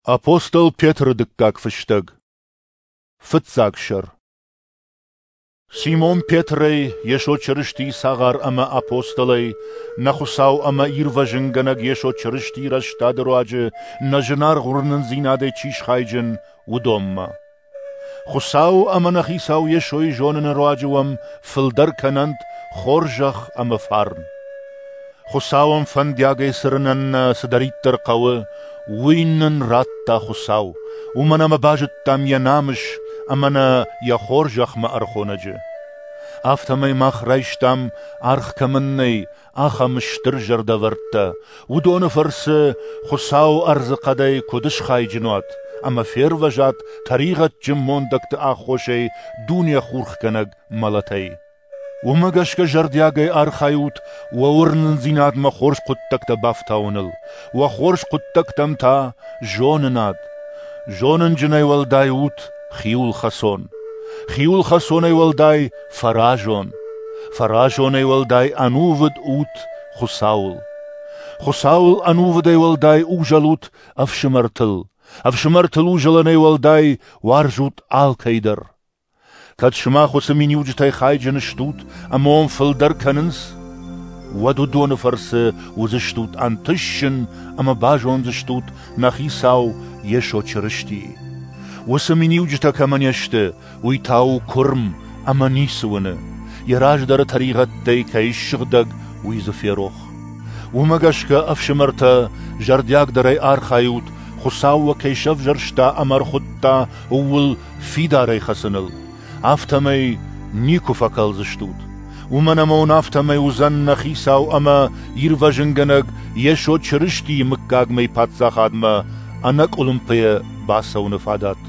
Апостол Петры дыккаг фыстӕг. Фыццаг сӕр. Симон Петрӕй, Йесо Чырыстийы цагъар ӕмӕ апостолӕй, нӕ Хуыцау ӕмӕ Ирвӕзынгӕнӕг Йесо Чырыстийы рӕстады руаджы нӕ зынаргъ уырнындзинадӕй чи схайджын, уыдонмӕ. Хуыцау ӕмӕ нӕ Хицау Йесойы зоныны руаджы уӕм фылдӕр кӕнӕнт хорзӕх ӕмӕ фарн. Хуыцауӕн фӕндиагӕй цӕрынӕн нӕ цыдӕриддӕр хъӕуы, уый нын радта Хуыцау, уымӕн ӕмӕ базыдтам йӕ намыс ӕмӕ нӕ йӕ хорзӕхмӕ ӕрхонӕджы. Афтӕмӕй мах райстам, аргъ кӕмӕн нӕй, ахӕм стыр зӕрдӕвӕрдтӕ, уыдоны фӕрцы Хуыцау ӕрдзыхъӕдӕй куыд схайджын уат ӕмӕ фервӕзат тӕригъӕдджын мондӕгты аххосӕй дуне хурхгӕнӕг мӕлӕтӕй. Уымӕ гӕсгӕ зӕрдиагӕй архайут уӕ уырнындзинадмӕ хорз хъуыддӕгтӕ бафтауыныл, уӕ хорз хъуыддӕгтӕм та зонынад. Зонынджынӕй уӕлдай ут хиуылхӕцон, хиуылхӕцонӕй уӕлдай фӕразон, фӕразонӕй уӕлдай ӕнувыд ут Хуыцауыл. Хуыцауыл ӕнувыдӕй уӕлдай узӕлут ӕфсымӕртыл, ӕфсымӕртыл узӕлынӕй уӕлдай уарзут алкӕй дӕр. Кӕд сымах уыцы миниуджытӕй хайджын стут ӕмӕ уӕм фылдӕр кӕнынц, уӕд уыдоны фӕрцы уыдзыстут ӕнтысджын ӕмӕ базондзыстут нӕ Хицау Йесо Чырыстийы. Уыцы миниуджытӕ кӕмӕ не сты, уый та у куырм ӕмӕ ницы уыны, йӕ раздӕры тӕригъӕдтӕй кӕй ссыгъдӕг, уый дзы ферох. Уымӕ гӕсгӕ, ӕфсымӕртӕ, зӕрдиагдӕрӕй архайут, Хуыцау уӕ кӕй сӕвзӕрста ӕмӕ ӕрхуыдта, ууыл фидарӕй хӕцыныл. Афтӕмӕй никуы фӕкӕлдзыстут. Уымӕн ӕмӕ уын афтӕмӕй уыдзӕн нӕ Хицау ӕмӕ Ирвӕзынгӕнӕг Йесо Чырыстийы мыггагмӕйы паддзахадмӕ ӕнӕкъуылымпыйӕ бацӕуыны фадат.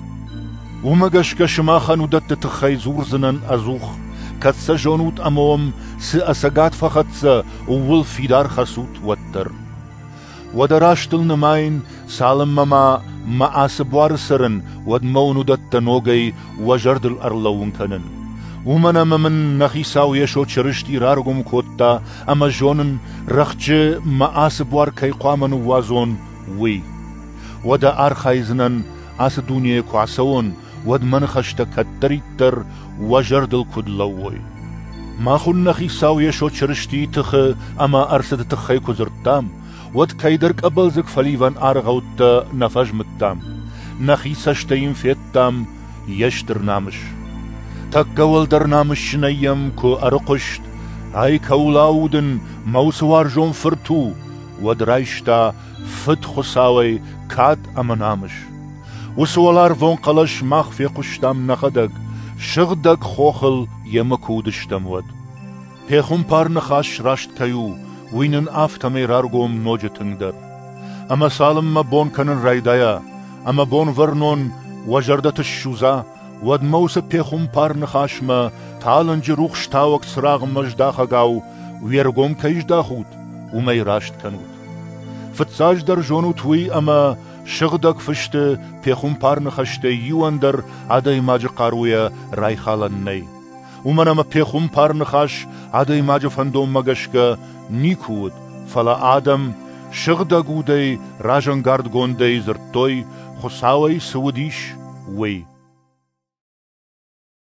Уымӕ гӕсгӕ сымахӕн уыдӕтты тыххӕй дзурдзынӕн ӕдзух, кӕд сӕ зонут ӕмӕ уӕм цы ӕцӕгад фӕхӕццӕ, ууыл фидар хӕцут, уӕддӕр. Уӕдӕ растыл нымайын, цалынмӕ ма мӕ ацы буары цӕрын, уӕдмӕ уын уыдӕттӕ ногӕй уӕ зӕрдыл ӕрлӕууын кӕнын. Уымӕн ӕмӕ мын нӕ Хицау Йесо Чырысти раргом кодта ӕмӕ зонын, рӕхджы мӕ ацы буар кӕй хъуамӕ ныууадзон, уый. Уӕдӕ архайдзынӕн, ацы дунейӕ куы ацӕуон, уӕд мӕ ныхӕстӕ кӕддӕриддӕр уӕ зӕрдыл куыд лӕууой. Мах уын нӕ Хицау Йесо Чырыстийы тыхы ӕмӕ ӕрцыды тыххӕй куы дзырдтам, уӕд кӕйдӕр къӕбӕлдзыг фӕливӕн аргъӕуттӕ нӕ фӕзмыдтам, нӕхи цӕстӕй йын федтам йе стыр намыс. Тӕккӕ уӕлдӕр намысджынӕй йӕм куы ӕрыхъуыст, ай кӕуыл аудын, мӕ уыцы уарзон фырт у, уӕд райста Фыд Хуыцауӕй кад ӕмӕ намыс. Уыцы уӕларвон хъӕлӕс мах фехъуыстам нӕхӕдӕг, сыгъдӕг хохыл йемӕ куы уыдыстӕм, уӕд. Пехуымпар ныхас раст кӕй у, уый нын афтӕмӕй раргом ноджы тынгдӕр. Ӕмӕ цалынмӕ бон кӕнын райдайа, ӕмӕ Бонвӕрнон уӕ зӕрдӕты ссудза, уӕдмӕ уыцы пехуымпар ныхасмӕ талынджы рухстауӕг цырагъмӕ здахӕгау уе ргом кӕй здахут, уымӕй раст кӕнут. Фыццаджыдӕр зонут уый, ӕмӕ Сыгъдӕг Фысты пехуымпар ныхӕстӕй иуӕн дӕр адӕймаджы хъаруйӕ райхалӕн нӕй. Уымӕн ӕмӕ пехуымпар ныхас адӕймаджы фӕндонмӕ гӕсгӕ никуы уыд, фӕлӕ адӕм Сыгъдӕг Удӕй разӕнгардгондӕй дзырдтой, Хуыцауӕй цы уыдис, уый.